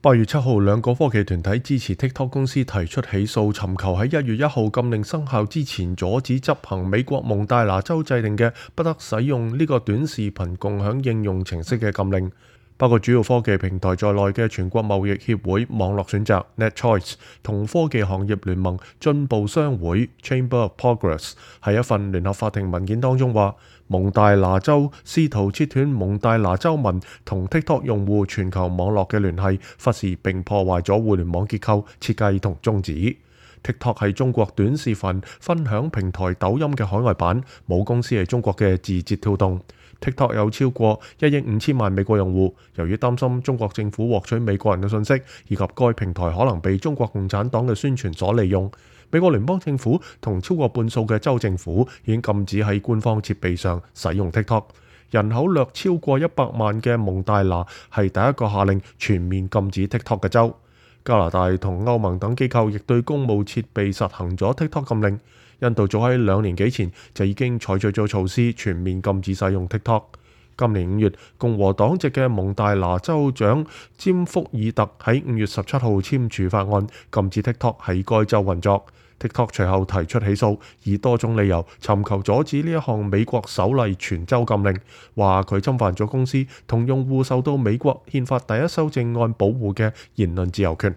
8月7號，兩個科技團體支持 TikTok 公司提出起訴，尋求喺1月1號禁令生效之前阻止執行美國蒙大拿州制定嘅不得使用呢個短視頻共享應用程式嘅禁令。包括主要科技平台在內嘅全國貿易協會網絡選擇 NetChoice 同科技行業聯盟進步商會 Chamber of Progress 喺一份聯合法庭文件當中話，蒙大拿州試圖切斷蒙大拿州民同 TikTok 用戶全球網絡嘅聯繫，忽視並破壞咗互聯網結構設計同宗旨。TikTok 係中國短視頻分享平台抖音嘅海外版，母公司係中國嘅字節跳動。TikTok 有超過1億5千萬美國用戶，由於擔心中國政府獲取美國人嘅信息，以及該平台可能被中國共產黨嘅宣傳所利用，美國聯邦政府同超過半數嘅州政府已經禁止喺官方設備上使用 TikTok。人口略超過100萬嘅蒙大拿係第一個下令全面禁止 TikTok 嘅州。加拿大同歐盟等機構亦對公務設備實行咗 TikTok 禁令。印度早喺2年幾前就已經採取咗措施，全面禁止使用 TikTok。今年5月，共和黨籍嘅蒙大拿州長詹福爾特喺5月17號簽署法案，禁止 TikTok 喺該州運作。TikTok 隨後提出起訴，以多種理由尋求阻止呢一項美國首例全州禁令，話佢侵犯咗公司同用戶受到美國憲法第1修正案保護嘅言論自由權。